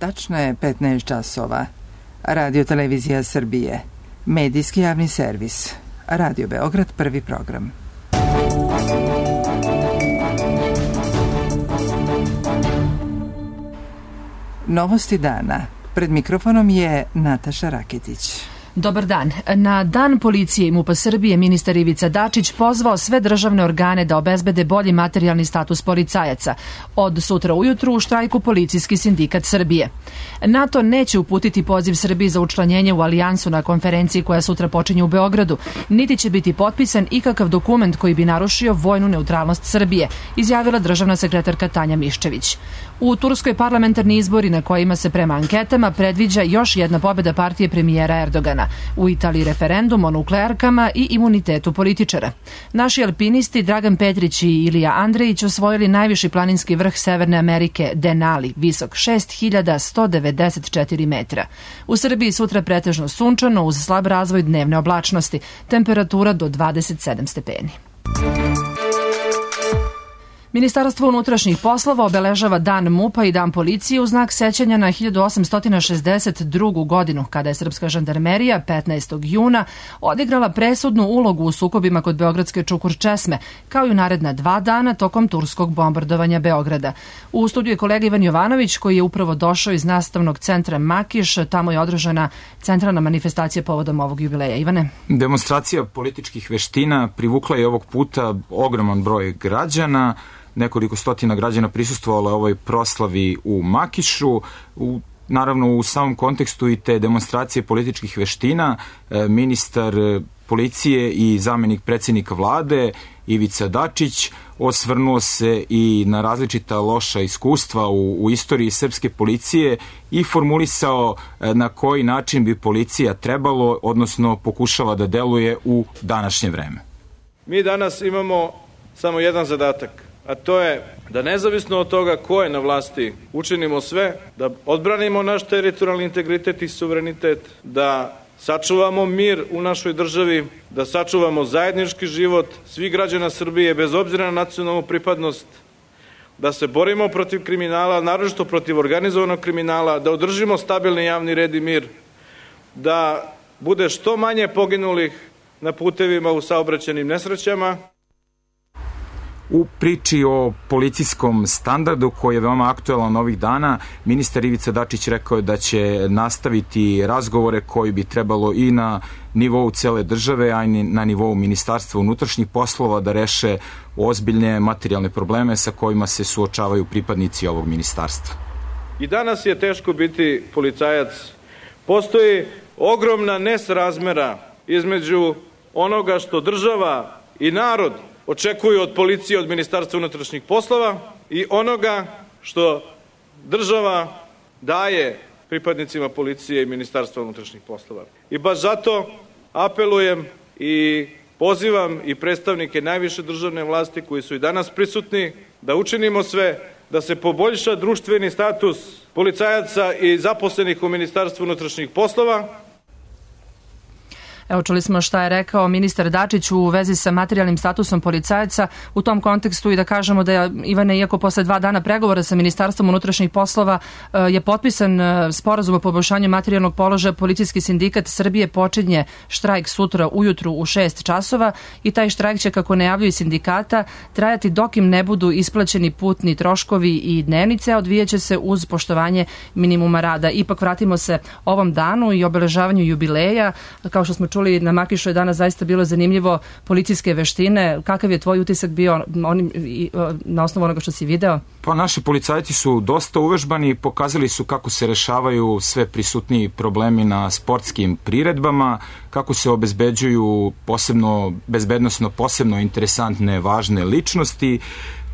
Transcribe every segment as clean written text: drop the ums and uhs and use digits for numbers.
Tačno je 15 časova. Radio Televizija Srbije. Medijski javni servis. Radio Beograd, prvi program. Novosti dana. Pred mikrofonom je Nataša Raketić. Dobar dan. Na Dan policije i MUP-a Srbije ministar Ivica Dačić pozvao sve državne organe da obezbede bolji materijalni status policajaca. Od sutra ujutru u štrajku Policijski sindikat Srbije. NATO neće uputiti poziv Srbiji za učlanjenje u alijansu na konferenciji koja sutra počinje u Beogradu, niti će biti potpisan ikakav dokument koji bi narušio vojnu neutralnost Srbije, izjavila državna sekretarka Tanja Miščević. U Turskoj parlamentarni izbori na kojima se prema anketama predviđa još jedna pobjeda partije premijera Erdogana. U Italiji referendum o nuklearkama i imunitetu političara. Naši alpinisti Dragan Petrić i Ilija Andrejić osvojili najviši planinski vrh Severne Amerike, Denali, visok 6194 metra. U Srbiji sutra pretežno sunčano uz slab razvoj dnevne oblačnosti, temperatura do 27 stepeni. Ministarstvo unutrašnjih poslova obeležava Dan MUP-a i Dan policije u znak sećanja na 1862. godinu, kada je srpska žandarmerija 15. juna odigrala presudnu ulogu u sukobima kod beogradske Čukur-Česme, kao i u naredna 2 dana tokom turskog bombardovanja Beograda. U studiju je kolega Ivan Jovanović, koji je upravo došao iz nastavnog centra Makiš. Tamo je održana centralna manifestacija povodom ovog jubileja. Ivane? Demonstracija političkih veština privukla je ovog puta ogroman broj građana. Nekoliko stotina građana prisustvovalo je ovoj proslavi u Makišu. Naravno, u samom kontekstu i te demonstracije političkih veština, ministar policije i zamenik predsjednika vlade Ivica Dačić osvrnuo se i na različita loša iskustva u istoriji srpske policije i formulisao na koji način bi policija trebalo, odnosno pokušava da deluje u današnje vreme. Mi danas imamo samo jedan zadatak, a to je da nezavisno od toga ko je na vlasti učinimo sve, da odbranimo naš teritorijalni integritet i suverenitet, da sačuvamo mir u našoj državi, da sačuvamo zajednički život svih građana Srbije bez obzira na nacionalnu pripadnost, da se borimo protiv kriminala, naročito protiv organizovanog kriminala, da održimo stabilni javni red i mir, da bude što manje poginulih na putevima u saobraćajnim nesrećama. U priči o policijskom standardu koji je veoma aktuelan ovih dana, ministar Ivica Dačić rekao je da će nastaviti razgovore koji bi trebalo i na nivou cele države, a i na nivou Ministarstva unutrašnjih poslova da reše ozbiljne materijalne probleme sa kojima se suočavaju pripadnici ovog ministarstva. I danas je teško biti policajac. Postoji ogromna nesrazmera između onoga što država i narod očekuju od policije, od Ministarstva unutrašnjih poslova i onoga što država daje pripadnicima policije i Ministarstva unutrašnjih poslova. I baš zato apelujem i pozivam i predstavnike najviše državne vlasti koji su i danas prisutni da učinimo sve da se poboljša društveni status policajaca i zaposlenih u Ministarstvu unutrašnjih poslova. Evo, čuli smo šta je rekao ministar Dačić u vezi sa materijalnim statusom policajaca. U tom kontekstu i da kažemo da je, Ivane, iako posle 2 dana pregovora sa Ministarstvom unutrašnjih poslova je potpisan sporazum o poboljšanju materijalnog položaja, Policijski sindikat Srbije počinje štrajk sutra ujutru u 6 časova i taj štrajk će, kako najavljuju sindikata, trajati dok im ne budu isplaćeni putni troškovi i dnevnice, a odvijaće se uz poštovanje minimuma rada. Ipak vratimo se ovom danu i obeležavanju jubileja. Kao što smo čuli, na Makišu je danas zaista bilo zanimljivo, policijske veštine. Kakav je tvoj utisak bio na osnovu onoga što si video? Pa naši policajci su dosta uvežbani i pokazali su kako se rešavaju sve prisutniji problemi na sportskim priredbama, kako se obezbeđuju bezbednosno posebno interesantne, važne ličnosti.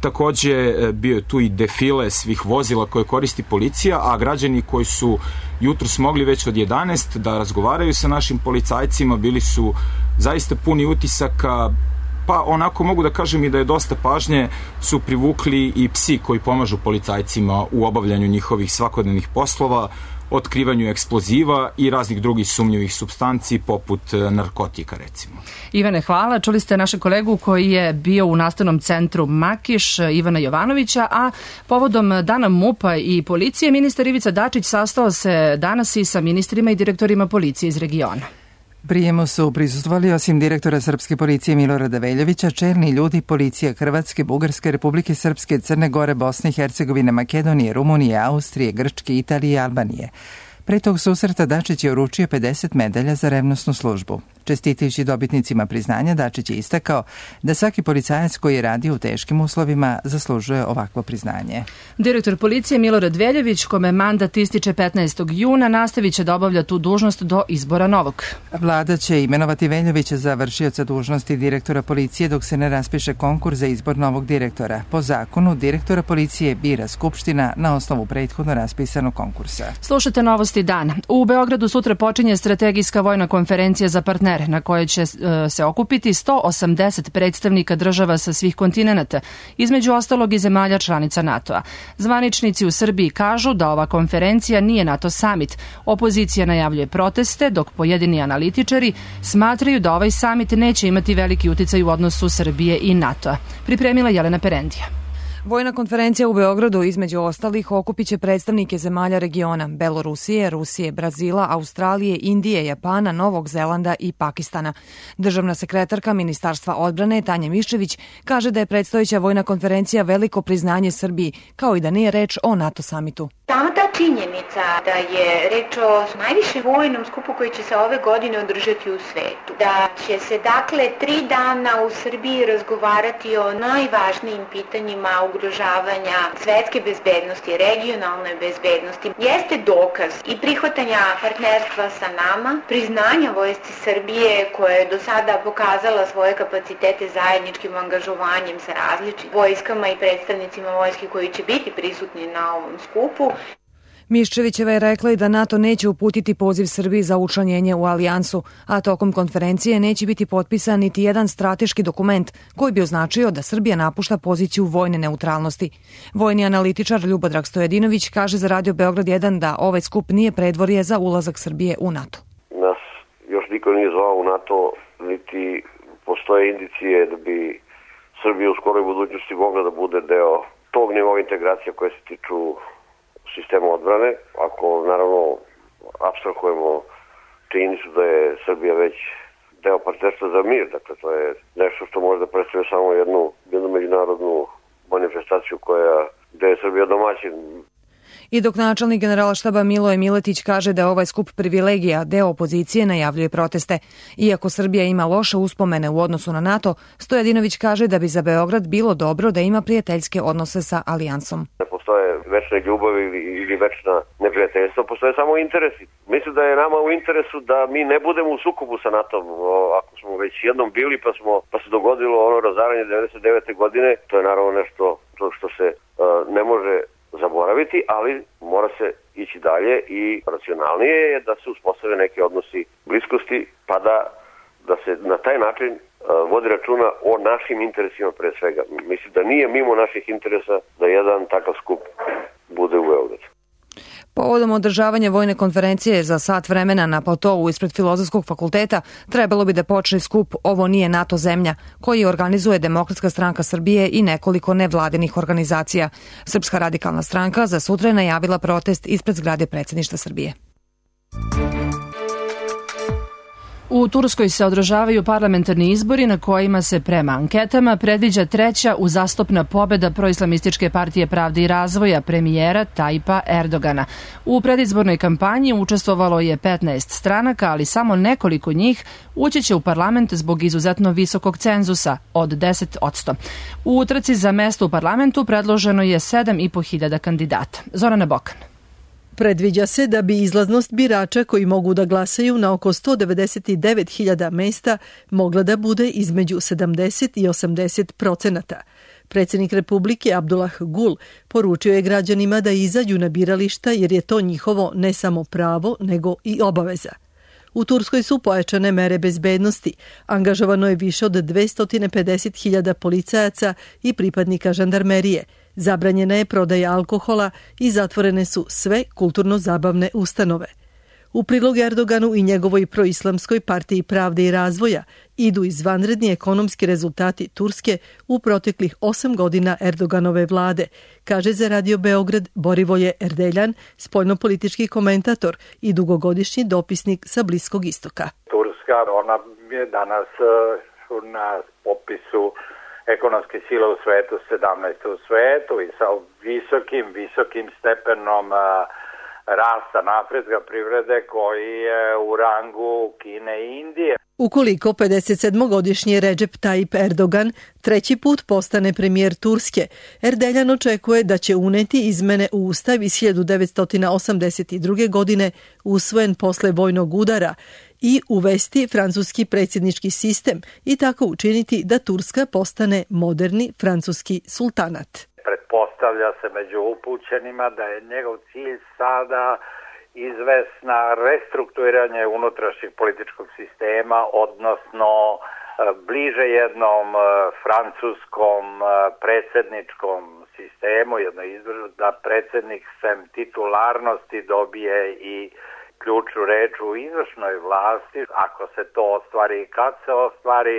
Takođe bio je tu i defile svih vozila koje koristi policija, a građani koji su jutros mogli već od 11 da razgovaraju sa našim policajcima bili su zaista puni utisaka, pa onako mogu da kažem i da je dosta pažnje su privukli i psi koji pomažu policajcima u obavljanju njihovih svakodnevnih poslova. otkrivanju eksploziva i raznih drugih sumnjivih supstanci poput narkotika recimo. Ivane, hvala. Čuli ste našeg kolegu koji je bio u nastavnom centru Makiš, Ivana Jovanovića, a povodom Dana MUP-a i policije, ministar Ivica Dačić sastao se danas i sa ministrima i direktorima policije iz regiona. Prijemu su prisustvovali osim direktora Srpske policije Milorada Veljovića, čelni ljudi policija Hrvatske, Bugarske, Republike Srpske, Crne Gore, Bosne i Hercegovine, Makedonije, Rumunije, Austrije, Grčke, Italije i Albanije. Pre tog susreta Dačić je uručio 50 medalja za revnosnu službu. Čestitajući dobitnicima priznanja, Dačić je istakao da svaki policajac koji je radio u teškim uslovima zaslužuje ovakvo priznanje. Direktor policije Milorad Veljović, kome mandat ističe 15. juna, nastavit će da obavlja tu dužnost do izbora novog. Vlada će imenovati Veljovića za vršioca dužnosti direktora policije dok se ne raspiše konkurs za izbor novog direktora. Po zakonu, direktora policije bira Skupština na osnovu prethodno raspisanog konkursa. Slušajte novosti dana. U Beogradu sutra počinje strategijska vojna konferencija za partnere, na kojoj će se okupiti 180 predstavnika država sa svih kontinenata, između ostalog i zemalja članica NATO-a. Zvaničnici u Srbiji kažu da ova konferencija nije NATO summit. Opozicija najavljuje proteste, dok pojedini analitičari smatraju da ovaj summit neće imati veliki uticaj u odnosu Srbije i NATO-a. Pripremila Jelena Perendija. Vojna konferencija u Beogradu između ostalih okupiće predstavnike zemalja regiona Belorusije, Rusije, Brazila, Australije, Indije, Japana, Novog Zelanda i Pakistana. Državna sekretarka Ministarstva odbrane Tanja Miščević kaže da je predstojeća vojna konferencija veliko priznanje Srbiji, kao i da nije reč o NATO samitu. Sama ta činjenica da je reč o najvišem vojnom skupu koji će se ove godine održati u svetu, da će se dakle 3 dana u Srbiji razgovarati o najvažnijim pitanjima ugrožavanja svetske bezbednosti, regionalne bezbednosti, jeste dokaz i prihvatanja partnerstva sa nama, priznanja vojsci Srbije koja je do sada pokazala svoje kapacitete zajedničkim angažovanjem sa različitim vojskama i predstavnicima vojske koji će biti prisutni na ovom skupu. Miščevićeva je rekla i da NATO neće uputiti poziv Srbiji za učlanjenje u alijansu, a tokom konferencije neće biti potpisan niti jedan strateški dokument koji bi označio da Srbija napušta poziciju vojne neutralnosti. Vojni analitičar Ljubodrag Stojadinović kaže za Radio Beograd 1 da ovaj skup nije predvorje za ulazak Srbije u NATO. Nas još niko nije zvao u NATO, niti postoje indicije da bi Srbija u skoroj budućnosti mogla da bude deo tog nivoa integracija koje se tiču sistema odbrane. Ako naravno apstrahujemo činjenicu da je Srbija već deo partnerstva za mir, dakle to je nešto što može da predstavlja samo jednu međunarodnu manifestaciju gde je Srbija domaćin. I dok načelnik Generalštaba Miloje Miletić kaže da je ovaj skup privilegija, deo opozicije najavljuje proteste. Iako Srbija ima loše uspomene u odnosu na NATO, Stojadinović kaže da bi za Beograd bilo dobro da ima prijateljske odnose sa alijansom. Ne postoje večne ljubavi ili večna neprijateljstva, postoje samo interesi. Mislim da je nama u interesu da mi ne budemo u sukobu sa NATO-om. Ako smo već jednom bili pa se dogodilo ono razaranje 99. godine, to je naravno nešto što se ne može zaboraviti, ali mora se ići dalje i racionalnije je da se uspostave neki odnosi bliskosti, pa da se na taj način vodi računa o našim interesima pre svega. Mislim da nije mimo naših interesa da jedan takav skup bude u Beogradu. Povodom održavanja vojne konferencije za sat vremena na platovu ispred Filozofskog fakulteta trebalo bi da počne skup Ovo nije NATO zemlja, koji organizuje Demokratska stranka Srbije i nekoliko nevladinih organizacija. Srpska radikalna stranka za sutra je najavila protest ispred zgrade predsjedništva Srbije. U Turskoj se održavaju parlamentarni izbori na kojima se prema anketama predviđa treća uzastopna pobeda proislamističke partije Pravde i razvoja premijera Tajipa Erdogana. U predizbornoj kampanji učestvovalo je 15 stranaka, ali samo nekoliko njih ući će u parlament zbog izuzetno visokog cenzusa od 10%. U utrci za mesto u parlamentu predloženo je 7.500 kandidata. Zorana Bokan. Predviđa se da bi izlaznost birača koji mogu da glasaju na oko 199.000 mesta mogla da bude između 70 i 80%. Predsjednik Republike Abdullah Gul poručio je građanima da izađu na birališta jer je to njihovo ne samo pravo nego i obaveza. U Turskoj su pojačane mere bezbednosti. Angažovano je više od 250.000 policajaca i pripadnika žandarmerije. Zabranjena je prodaja alkohola i zatvorene su sve kulturno-zabavne ustanove. U prilog Erdoganu i njegovoj proislamskoj partiji pravde i razvoja idu izvanredni ekonomski rezultati Turske u proteklih 8 godina Erdoganove vlade, kaže za Radio Beograd Borivoje Erdeljan, spoljnopolitički komentator i dugogodišnji dopisnik sa Bliskog istoka. Turska, ona je danas na popisu ekonomske sile u svetu, 17. u svetu i sa visokim stepenom rasta napretka privrede koji je u rangu Kine i Indije. Ukoliko 57-godišnji Recep Tayyip Erdogan treći put postane premijer Turske, Erdeljan očekuje da će uneti izmene u ustav iz 1982. godine usvojen posle vojnog udara i uvesti francuski predsjednički sistem i tako učiniti da Turska postane moderni francuski sultanat. Pretpostavlja se među upućenima da je njegov cilj sada izvesna restrukturiranje unutrašnjeg političkog sistema, odnosno bliže jednom francuskom predsjedničkom sistemu, da predsjednik sem titularnosti dobije i ključnu reč u izvršnoj vlasti. Ako se to ostvari i kad se ostvari,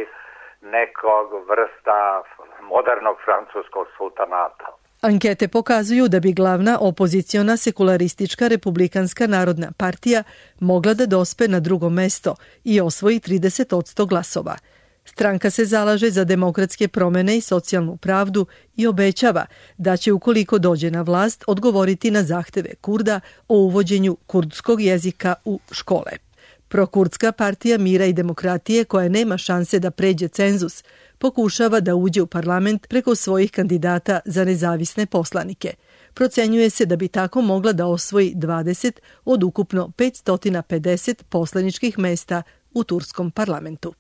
nekog vrsta modernog francuskog sultanata. Ankete pokazuju da bi glavna opoziciona sekularistička republikanska narodna partija mogla da dospe na drugo mesto i osvoji 30% glasova. Stranka se zalaže za demokratske promene i socijalnu pravdu i obećava da će, ukoliko dođe na vlast, odgovoriti na zahteve Kurda o uvođenju kurdskog jezika u škole. Prokurdska partija mira i demokratije, koja nema šanse da pređe cenzus, pokušava da uđe u parlament preko svojih kandidata za nezavisne poslanike. Procenjuje se da bi tako mogla da osvoji 20 od ukupno 550 poslaničkih mesta u turskom parlamentu.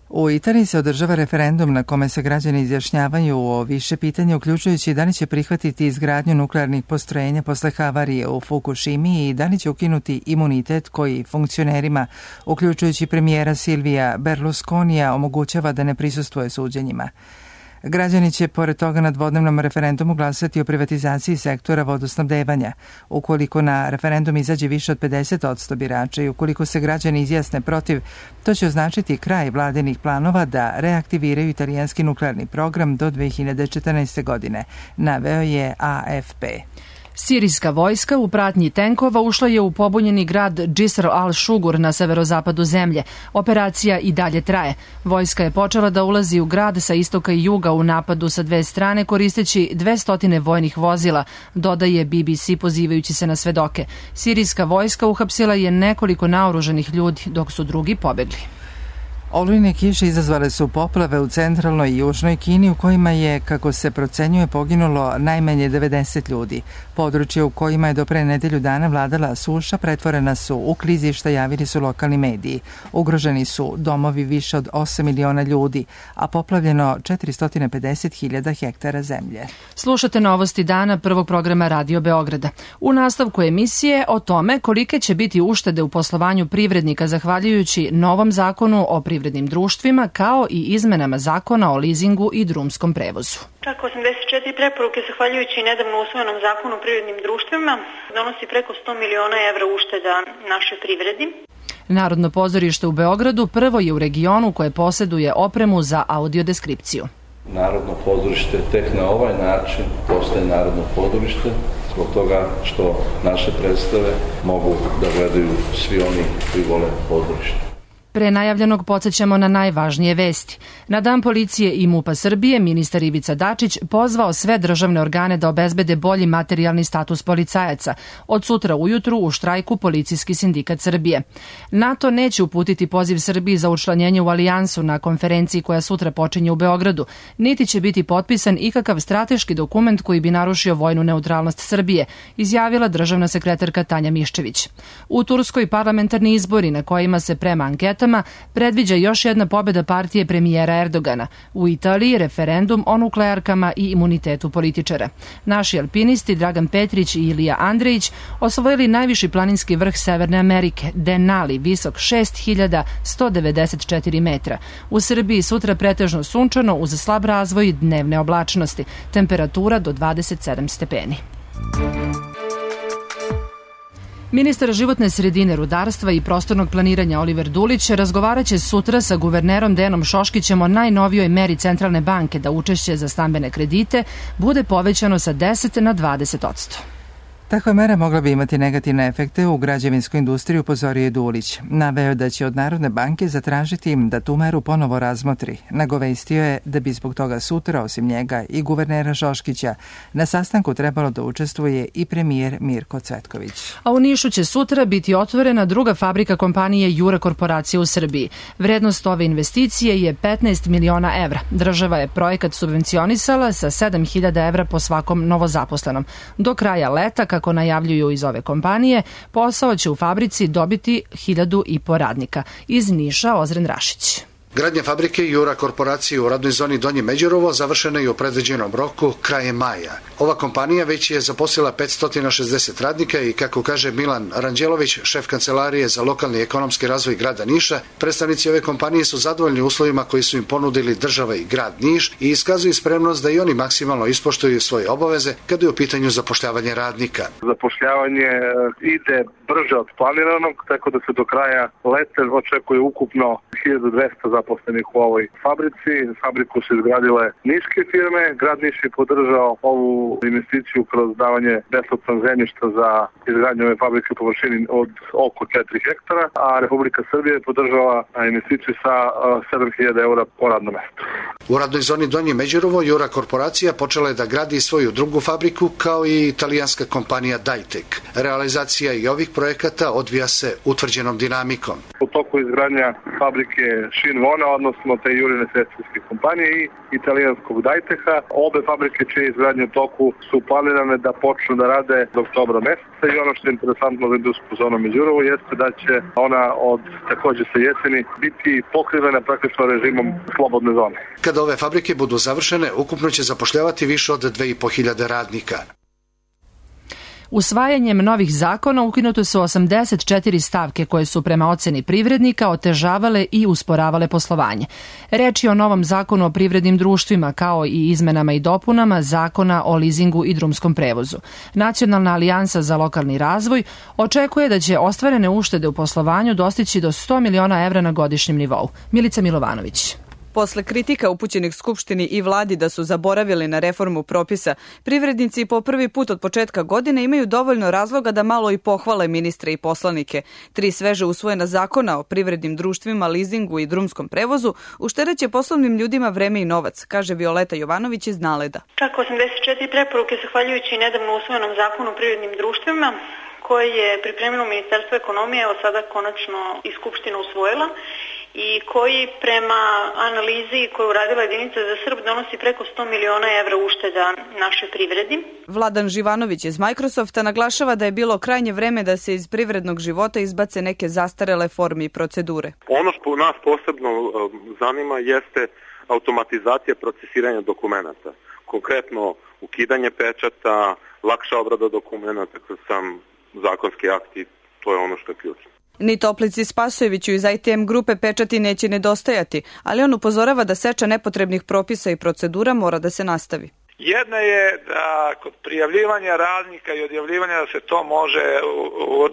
U Italiji se održava referendum na kome se građani izjašnjavaju o više pitanja, uključujući da li će prihvatiti izgradnju nuklearnih postrojenja posle havarije u Fukushimi i da li će ukinuti imunitet koji funkcionerima, uključujući premijera Silvija Berlusconija, omogućava da ne prisustvuje suđenjima. Građani će pored toga na dvodnevnom referendumu glasati o privatizaciji sektora vodosnabdevanja. Ukoliko na referendum izađe više od 50% birača i ukoliko se građani izjasne protiv, to će označiti kraj vladinih planova da reaktiviraju italijanski nuklearni program do 2014. godine, naveo je AFP. Sirijska vojska u pratnji tenkova ušla je u pobunjeni grad Džisr al-Šugur na severozapadu zemlje. Operacija i dalje traje. Vojska je počela da ulazi u grad sa istoka i juga u napadu sa dve strane koristeći 200 vojnih vozila, dodaje BBC pozivajući se na svedoke. Sirijska vojska uhapsila je nekoliko naoružanih ljudi, dok su drugi pobegli. Olujne kiše izazvale su poplave u centralnoj i južnoj Kini u kojima je, kako se procenjuje, poginulo najmanje 90 ljudi. Područje u kojima je do pre nedelju dana vladala suša pretvorena su u klizišta, javili su lokalni mediji. Ugroženi su domovi više od 8 miliona ljudi, a poplavljeno 450.000 hektara zemlje. Slušate novosti dana prvog programa Radio Beograda. U nastavku emisije o tome kolike će biti uštede u poslovanju privrednika zahvaljujući novom zakonu o privrednim društvima, kao i izmenama zakona o lizingu i drumskom prevozu. Čak 84 preporuke, zahvaljujući nedavno usvojenom zakonu o privrednim društvima, donosi preko 100 miliona evra ušteda našoj privredi. Narodno pozorište u Beogradu prvo je u regionu koje posjeduje opremu za audiodeskripciju. Narodno pozorište tek na ovaj način postaje narodno pozorište, zbog toga što naše predstave mogu da gledaju svi oni koji vole pozorište. Pre najavljenog podsjećamo na najvažnije vesti. Na Dan policije i MUP-a Srbije ministar Ivica Dačić pozvao sve državne organe da obezbede bolji materijalni status policajaca. Od sutra ujutru u štrajku Policijski sindikat Srbije. NATO neće uputiti poziv Srbiji za učlanjenje u alijansu na konferenciji koja sutra počinje u Beogradu, niti će biti potpisan ikakav strateški dokument koji bi narušio vojnu neutralnost Srbije, izjavila državna sekretarka Tanja Miščević. U Turskoj parlamentarni izbori na kojima se prema anketama minutama predviđa još jedna pobjeda partije premijera Erdogana. U Italiji referendum o nuklearkama i imunitetu političara. Naši alpinisti Dragan Petrić i Ilija Andrejić osvojili najviši planinski vrh Severne Amerike, Denali, visok 6194 metra. U Srbiji sutra pretežno sunčano uz slab razvoj dnevne oblačnosti. Temperatura do 27 stepeni. Ministar životne sredine, rudarstva i prostornog planiranja Oliver Dulić razgovaraće sutra sa guvernerom Dejanom Šoškićem o najnovijoj meri Centralne banke da učešće za stambene kredite bude povećano sa 10 na 20%. Takva mera mogla bi imati negativne efekte u građevinskoj industriji, upozorio je Dulić. Naveo da će od Narodne banke zatražiti im da tu meru ponovo razmotri. Nagovestio je da bi zbog toga sutra, osim njega i guvernera Šoškića, na sastanku trebalo da učestvuje i premijer Mirko Cvetković. A u Nišu će sutra biti otvorena druga fabrika kompanije Jura Korporacije u Srbiji. Vrednost ove investicije je 15 miliona evra. Država je projekat subvencionisala sa 7.000 evra po svakom novozaposlenom. Do kraja leta, kako najavljuju iz ove kompanije, posao će u fabrici dobiti 1.500 radnika. Iz Niša Ozren Rašić. Gradnja fabrike Jura Korporacije u radnoj zoni Donje Međerovo završena je u predviđenom roku krajem maja. Ova kompanija već je zaposlila 560 radnika i, kako kaže Milan Ranđelović, šef kancelarije za lokalni ekonomski razvoj grada Niša, predstavnici ove kompanije su zadovoljni uslovima koji su im ponudili država i grad Niš i iskazuju spremnost da i oni maksimalno ispoštuju svoje obaveze kada je u pitanju zapošljavanje radnika. Zapošljavanje ide brže od planiranog, tako da se do kraja leta očekuje ukupno 1200 zaposlenih u ovoj fabrici. Fabriku su izgradile niške firme. Grad Niš je podržao ovu investiciju kroz davanje besplatnog zemljišta za izgradnju ove fabrike u površini od oko 4 hektara, a Republika Srbija je podržala investiciju sa 7.000 eura po radnom mestu. U radnoj zoni Donje Međerovo Jura Korporacija počela je da gradi svoju drugu fabriku, kao i italijanska kompanija Dajtek. Realizacija i ovih projekata odvija se utvrđenom dinamikom. U toku izgradnja fabrike Šinvona, odnosno te Jurine sestrinske kompanije i italijanskog Dajteha. Obe fabrike čije izgradnje u toku su planirane da počnu da rade do oktobra meseca i ono što je interesantno za industrijsku zonu Međurovo jeste da će ona od takođe sa jeseni biti pokrivena praktično režimom slobodne zone. Kada ove fabrike budu završene, ukupno će zapošljavati više od 2.500 radnika. Usvajanjem novih zakona ukinute su 84 stavke koje su prema oceni privrednika otežavale i usporavale poslovanje. Reč je o novom zakonu o privrednim društvima kao i izmenama i dopunama zakona o lizingu i drumskom prevozu. Nacionalna alijansa za lokalni razvoj očekuje da će ostvarene uštede u poslovanju dostići do 100 miliona evra na godišnjem nivou. Milica Milovanović. Posle kritika upućenih Skupštini i vladi da su zaboravili na reformu propisa, privrednici po prvi put od početka godine imaju dovoljno razloga da malo i pohvale ministre i poslanike. 3 sveže usvojena zakona o privrednim društvima, lizingu i drumskom prevozu uštedeće poslovnim ljudima vreme i novac, kaže Violeta Jovanović iz Naleda. Čak 84 preporuke zahvaljujući nedavno usvojenom zakonu o privrednim društvima koje je pripremilo Ministarstvo ekonomije, evo sada konačno i Skupština usvojila, i koji prema analizi koju uradila Jedinica za Srb donosi preko 100 miliona evra ušteda našoj privredi. Vladan Živanović iz Microsofta naglašava da je bilo krajnje vreme da se iz privrednog života izbace neke zastarele forme i procedure. Ono što nas posebno zanima jeste automatizacija procesiranja dokumenata. Konkretno ukidanje pečata, lakša obrada dokumenata kroz sam zakonski akti, to je ono što je ključno. Ni Toplici Spasojeviću iz ITM grupe pečati neće nedostajati, ali on upozorava da seča nepotrebnih propisa i procedura mora da se nastavi. Jedna je da kod prijavljivanja radnika i odjavljivanja da se to može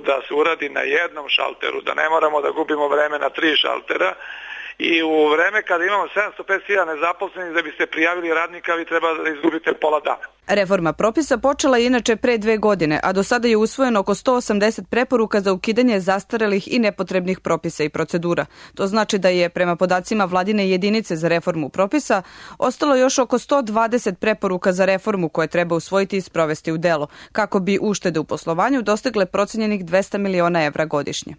da se uradi na jednom šalteru, da ne moramo da gubimo vreme na 3 šaltera. I u vreme kada imamo 750.000 nezaposlenih da biste prijavili radnika, vi treba da izgubite pola dana. Reforma propisa počela je inače pre 2 godine, a do sada je usvojeno oko 180 preporuka za ukidanje zastarelih i nepotrebnih propisa i procedura. To znači da je, prema podacima vladine jedinice za reformu propisa, ostalo još oko 120 preporuka za reformu koje treba usvojiti i sprovesti u delo, kako bi uštede u poslovanju dostigle procenjenih 200 miliona evra godišnje.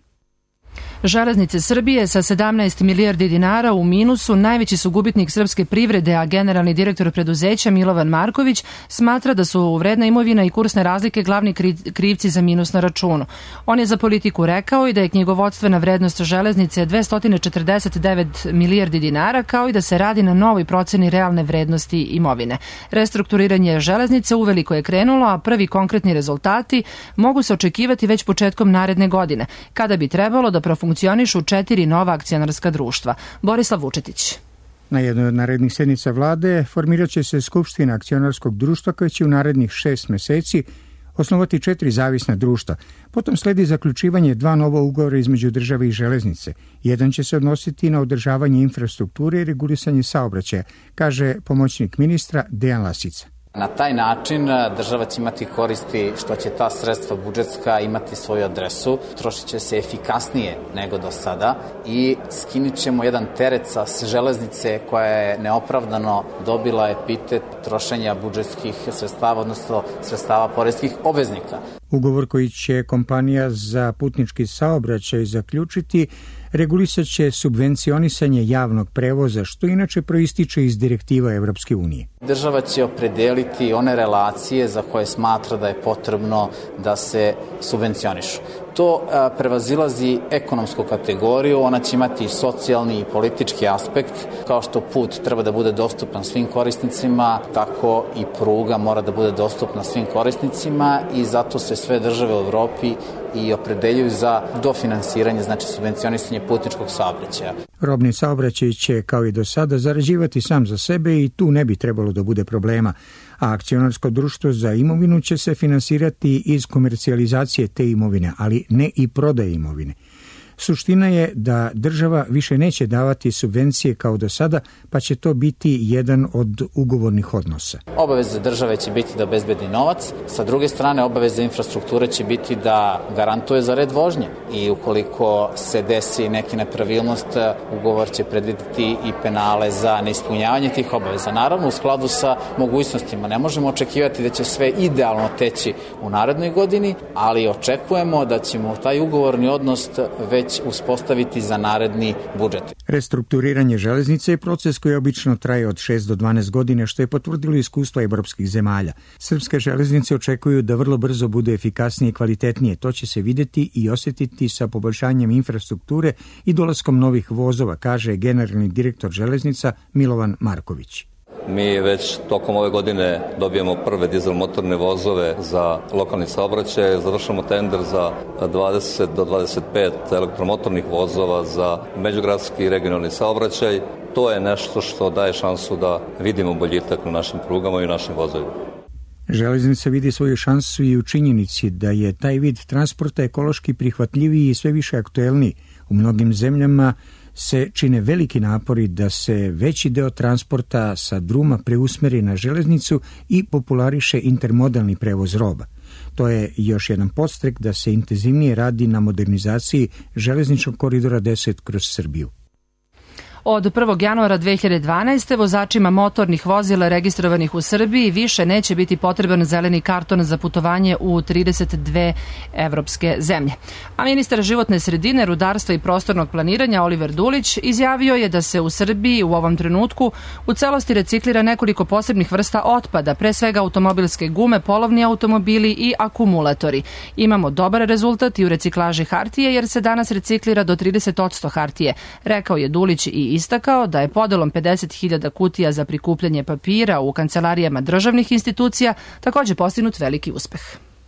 Železnice Srbije sa 17 milijardi dinara u minusu najveći su gubitnik srpske privrede, a generalni direktor preduzeća Milovan Marković smatra da su vredna imovina i kursne razlike glavni krivci za minus na računu. On je za Politiku rekao i da je knjigovodstvena vrednost železnice 249 milijardi dinara, kao i da se radi na novoj proceni realne vrednosti imovine. Restrukturiranje železnice uveliko je krenulo, a prvi konkretni rezultati mogu se očekivati već početkom naredne godine, kada bi trebalo da profunkcionišu 4 nova akcionarska društva. Borislav Vučetić. Na jednoj od narednih sednica vlade formirat će se Skupština akcionarskog društva koja će u narednih 6 meseci osnovati 4 zavisna društva. Potom sledi zaključivanje 2 nova ugovora između države i železnice. Jedan će se odnositi na održavanje infrastrukture i regulisanje saobraćaja, kaže pomoćnik ministra Dejan Lasica. Na taj način država će imati koristi što će ta sredstva budžetska imati svoju adresu, trošit će se efikasnije nego do sada i skinut ćemo jedan teret sa železnice koja je neopravdano dobila epitet trošenja budžetskih sredstava, odnosno sredstava poreskih obveznika. Ugovor koji će kompanija za putnički saobraćaj zaključiti regulisat će subvencionisanje javnog prevoza, što inače proističe iz direktiva Evropske unije. Država će opredeliti one relacije za koje smatra da je potrebno da se subvencionišu. To prevazilazi ekonomsku kategoriju, ona će imati socijalni i politički aspekt. Kao što put treba da bude dostupan svim korisnicima, tako i pruga mora da bude dostupna svim korisnicima i zato se sve države u Evropi i opredeljuju za dofinansiranje, znači subvencionisanje putničkog saobraćaja. Robni saobraćaj će, kao i do sada, zarađivati sam za sebe i tu ne bi trebalo da bude problema, a akcionarsko društvo za imovinu će se finansirati iz komercijalizacije te imovine, ali ne i prodaje imovine. Suština je da država više neće davati subvencije kao do sada, pa će to biti jedan od ugovornih odnosa. Obaveza države će biti da obezbedi novac, sa druge strane obaveza infrastrukture će biti da garantuje za red vožnje i ukoliko se desi neke nepravilnost, ugovor će predvideti i penale za neispunjavanje tih obaveza. Naravno, u skladu sa mogućnostima ne možemo očekivati da će sve idealno teći u narednoj godini, ali očekujemo da ćemo taj ugovorni odnos već uspostaviti za naredni budžet. Restrukturiranje železnice je proces koji obično traje od 6 do 12 godina, što je potvrdilo iskustvo evropskih zemalja. Srpske železnice očekuju da vrlo brzo bude efikasnije i kvalitetnije. To će se videti i osjetiti sa poboljšanjem infrastrukture i dolaskom novih vozova, kaže generalni direktor železnica Milovan Marković. Mi već tokom ove godine dobijemo prve dizel motorne vozove za lokalni saobraćaj, završamo tender za 20 do 25 elektromotornih vozova za međugradski i regionalni saobraćaj. To je nešto što daje šansu da vidimo boljitak na našim prugama i našim vozovima. Železnica vidi svoju šansu i u činjenici da je taj vid transporta ekološki prihvatljiviji i sve više aktuelniji. U mnogim zemljama se čine veliki napori da se veći deo transporta sa druma preusmeri na železnicu i populariše intermodalni prevoz roba. To je još jedan podstrek da se intenzivnije radi na modernizaciji železničkog koridora 10 kroz Srbiju. Od 1. januara 2012. vozačima motornih vozila registrovanih u Srbiji više neće biti potreban zeleni karton za putovanje u 32 evropske zemlje. A ministar životne sredine, rudarstva i prostornog planiranja Oliver Dulić izjavio je da se u Srbiji u ovom trenutku u celosti reciklira nekoliko posebnih vrsta otpada, pre svega automobilske gume, polovni automobili i akumulatori. Imamo dobar rezultat i u reciklaži hartije jer se danas reciklira do 30% hartije, rekao je Dulić i istakao da je podelom 50.000 kutija za prikupljanje papira u kancelarijama državnih institucija takođe postignut veliki uspeh.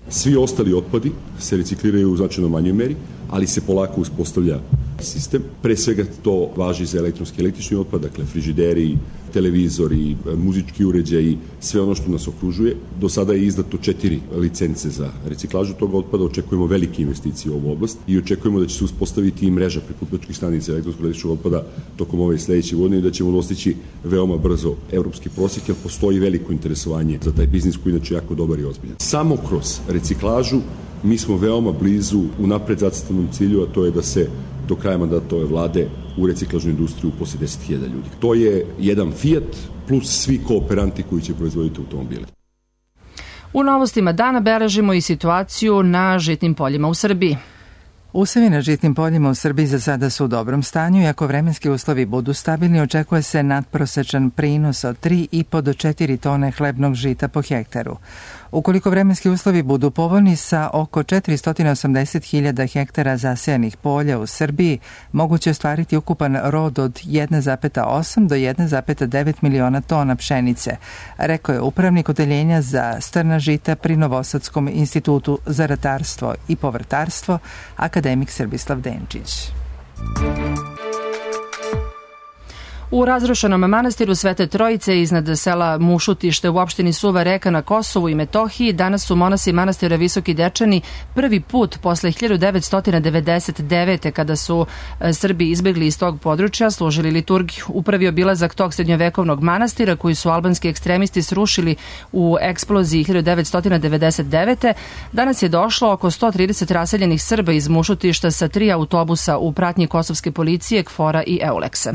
Svi ostali otpadi se recikliraju u značajno manjoj meri, ali se polako uspostavlja sistem. Pre svega to važi za elektronski i električni otpad, dakle frižideri, televizori, muzički uređaji, sve ono što nas okružuje. Do sada je izdato 4 licence za reciklažu tog otpada, očekujemo velike investicije u ovu oblast i očekujemo da će se uspostaviti i mreža prikupljačkih stanica elektronskog električnog otpada tokom ove sledeće godine i da ćemo dostići veoma brzo evropski prosjek, jer postoji veliko interesovanje za taj biznis koji inače jako dobar i ozbiljan. Samo kroz reciklažu mi smo veoma blizu unapred zacrtanom cilju, a to je da se do kraja mandata ove vlade u reciklažnu industriju uposli 10.000 ljudi. To je jedan Fiat plus svi kooperanti koji će proizvoditi automobile. U novostima dana beležimo i situaciju na žitnim poljima u Srbiji. Usevi na žitnim poljima u Srbiji za sada su u dobrom stanju i ako vremenski uslovi budu stabilni, očekuje se nadprosečan prinos od 3,5 do 4 tone hlebnog žita po hektaru. Ukoliko vremenski uslovi budu povoljni, sa oko 480.000 hektara zasejanih polja u Srbiji moguće ostvariti ukupan rod od 1,8 do 1,9 miliona tona pšenice, rekao je upravnik odeljenja za strna žita pri Novosadskom institutu za ratarstvo i povrtarstvo, akademik Srbislav Denčić. U razrušenom manastiru Svete Trojice iznad sela Mušutište u opštini Suva Reka na Kosovu i Metohiji danas su monasi manastira Visoki Dečani prvi put posle 1999. kada su Srbi izbegli iz tog područja služili liturgiju. U prvi obilazak tog srednjovekovnog manastira koji su albanski ekstremisti srušili u eksploziji 1999. danas je došlo oko 130 raseljenih Srba iz Mušutišta sa 3 autobusa u pratnji kosovske policije, KFOR-a i Euleksa.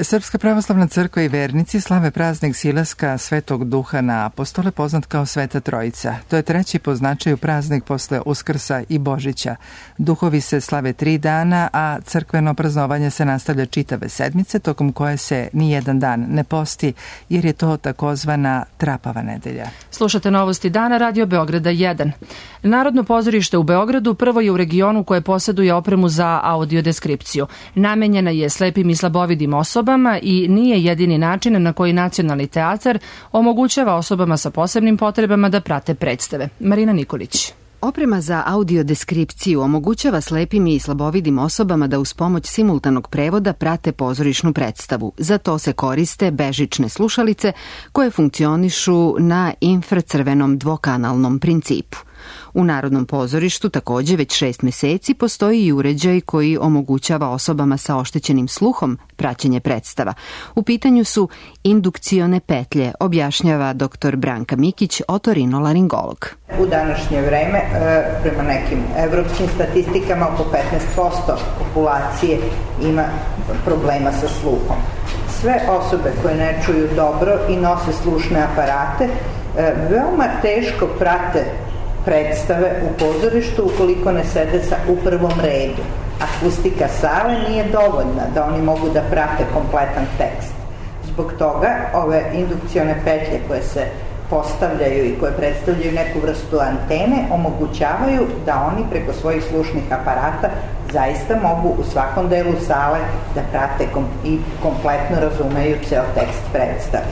Srpska pravoslavna crkva i vernici slave praznik Silaska Svetog Duha na apostole, poznat kao Sveta Trojica. To je treći po značaju praznik posle Uskrsa i Božića. Duhovi se slave 3 dana, a crkveno praznovanje se nastavlja čitave sedmice, tokom koje se nijedan dan ne posti, jer je to takozvana Trapava nedelja. Slušate novosti dana, Radio Beograda 1. Narodno pozorište u Beogradu prvo je u regionu koje posjeduje opremu za audiodeskripciju. Namenjena je slepim i slabovidim osobama i nije jedini način na koji Nacionalni teatar omogućava osobama sa posebnim potrebama da prate predstave. Marina Nikolić. Oprema za audiodeskripciju omogućava slepim i slabovidim osobama da uz pomoć simultanog prevoda prate pozorišnu predstavu. Za to se koriste bežične slušalice koje funkcionišu na infracrvenom dvokanalnom principu. U Narodnom pozorištu takođe već 6 meseci postoji i uređaj koji omogućava osobama sa oštećenim sluhom praćenje predstava. U pitanju su indukcione petlje, objašnjava dr. Branka Mikić, otorinolaringolog. U današnje vreme, prema nekim evropskim statistikama, oko 15% populacije ima problema sa sluhom. Sve osobe koje ne čuju dobro i nose slušne aparate veoma teško prate predstave u pozorištu ukoliko ne sede u prvom redu. Akustika sale nije dovoljna da oni mogu da prate kompletan tekst. Zbog toga ove indukcione petlje koje se postavljaju i koje predstavljaju neku vrstu antene omogućavaju da oni preko svojih slušnih aparata zaista mogu u svakom delu sale da prate i kompletno razumeju ceo tekst predstave.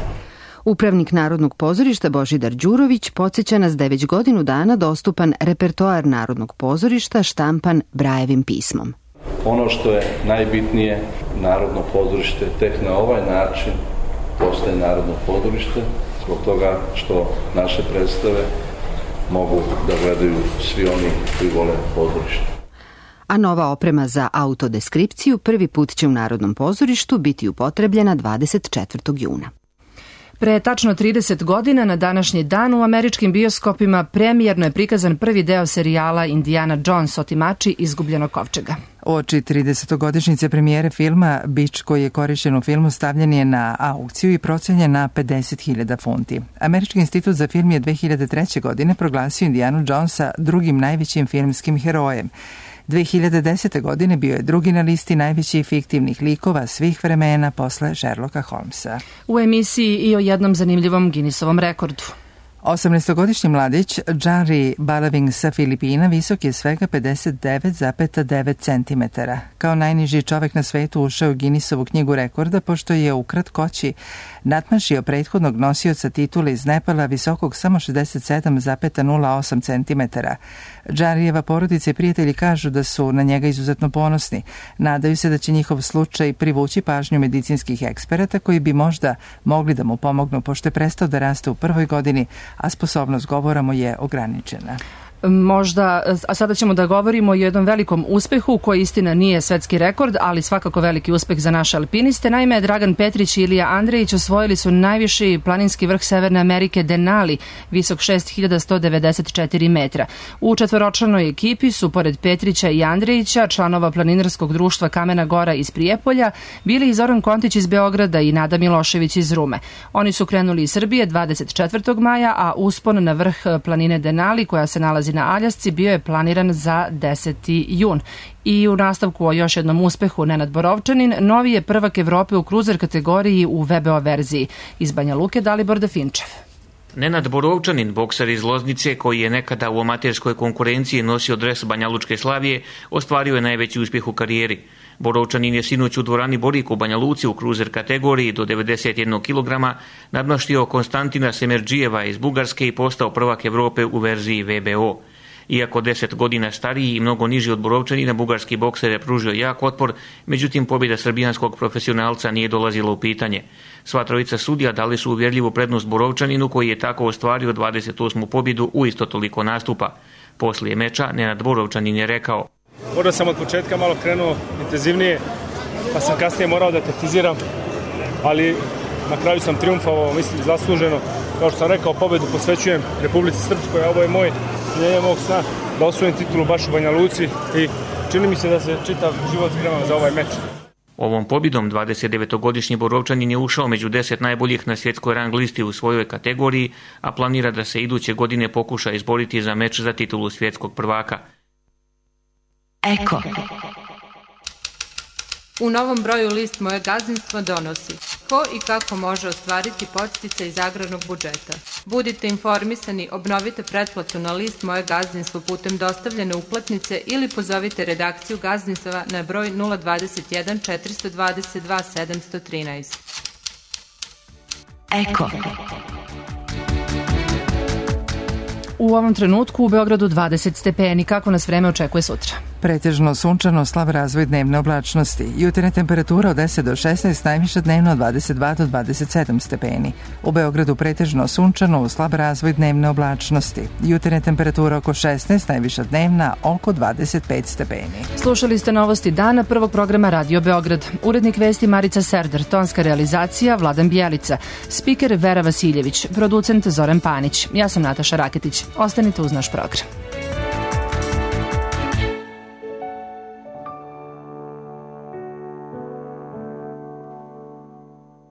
Upravnik Narodnog pozorišta Božidar Đurović podsjeća nas da je već godinu dana dostupan repertoar Narodnog pozorišta štampan Brajevim pismom. Ono što je najbitnije, Narodno pozorište tek na ovaj način postaje Narodno pozorište, zbog toga što naše predstave mogu da gledaju svi oni koji vole pozorište. A nova oprema za autodeskripciju prvi put će u Narodnom pozorištu biti upotrebljena 24. juna. Pre tačno 30 godina na današnji dan u američkim bioskopima premijerno je prikazan prvi deo serijala Indiana Jones, otimači izgubljenog kovčega. Oči 30-godišnjice premijere filma bič koji je korišćen u filmu stavljen je na aukciju i procenjen na 50.000 funti. Američki institut za film je 2003. godine proglasio Indianu Jonesa drugim najvećim filmskim herojem. 2010. godine bio je drugi na listi najvećih fiktivnih likova svih vremena posle Sherlocka Holmesa. U emisiji i o jednom zanimljivom Guinnessovom rekordu. 18-godišnji mladić Janri Balaving sa Filipina visok je svega 59,9 cm. Kao najniži čovek na svetu ušao u Guinnessovu knjigu rekorda pošto je u kratkoći nadmašio prethodnog nosioca titule iz Nepala visokog samo 67,08 cm. Janrijeva porodica i prijatelji kažu da su na njega izuzetno ponosni. Nadaju se da će njihov slučaj privući pažnju medicinskih eksperata koji bi možda mogli da mu pomognu pošto je prestao da raste u prvoj godini, a sposobnost govora mu je ograničena. Možda, a sada ćemo da govorimo o jednom velikom uspehu koji istina nije svetski rekord, ali svakako veliki uspeh za naše alpiniste. Naime, Dragan Petrić i Ilija Andrejić osvojili su najviši planinski vrh Severne Amerike Denali, visok 6194 metra. U četvoročlanoj ekipi su, pored Petrića i Andrejića, članova planinarskog društva Kamena Gora iz Prijepolja, bili i Zoran Kontić iz Beograda i Nada Milošević iz Rume. Oni su krenuli iz Srbije 24. maja, a uspon na vrh planine Denali, koja se nalazi stazi na Aljasci bio je planiran za 10. jun. I u nastavku o još jednom uspehu Nenad Borovčanin, novi je prvak Evrope u kruzer kategoriji u VBO verziji. Iz Banja Luke Dalibor Definčev. Nenad Borovčanin, bokser iz Loznice, koji je nekada u amaterskoj konkurenciji nosio dres Banjalučke Slavije, ostvario je najveći uspjeh u karijeri. Borovčanin je sinoć u dvorani Borik u Banja Luci u kruzer kategoriji do 91 kg nadmaštio Konstantina Semerđijeva iz Bugarske i postao prvak Evrope u verziji VBO. Iako 10 godina stariji i mnogo niži od Borovčanina, bugarski bokser je pružio jak otpor, međutim pobjeda srbijanskog profesionalca nije dolazila u pitanje. Sva trojica sudija dali su uvjerljivu prednost Borovčaninu, koji je tako ostvario 28. pobjedu u isto toliko nastupa. Poslije meča Nenad Borovčanin je rekao: Možda sam od početka malo krenuo intenzivnije, pa sam kasnije morao da taktiziram, ali na kraju sam triumfovao, mislim, zasluženo. Kao što sam rekao, pobjedu posvećujem Republici Srpskoj, a ovo je moj ispunjenje mog sna da osvojim titulu baš u Banja Luci i čini mi se da se čitav život spremam za ovaj meč. Ovom pobjedom 29-godišnji Borovčanin je ušao među 10 najboljih na svjetskoj rang listi u svojoj kategoriji, a planira da se iduće godine pokuša izboriti za meč za titulu svjetskog prvaka. Eko. U novom broju list Moje gazdinstvo donosi ko i kako može ostvariti podsticaj iz agrarnog budžeta. Budite informisani, obnovite pretplatu na list Moje gazdinstvo putem dostavljene uplatnice ili pozovite redakciju gazdinstva na broj 021 422 713. Eko. U ovom trenutku u Beogradu 20 stepeni. Kako nas vreme očekuje sutra? Pretežno sunčano, slab razvoj dnevne oblačnosti. Jutarnja temperatura od 10 do 16, najviša dnevno od 22 do 27 stepeni. U Beogradu pretežno sunčano, slab razvoj dnevne oblačnosti. Jutarnja temperatura oko 16, najviša dnevna oko 25 stepeni. Slušali ste novosti dana prvog programa Radio Beograd. Urednik vesti Marica Serdar, tonska realizacija Vladan Bjelica, spiker Vera Vasiljević, producent Zoran Panić. Ja sam Nataša Raketić. Ostanite uz naš program.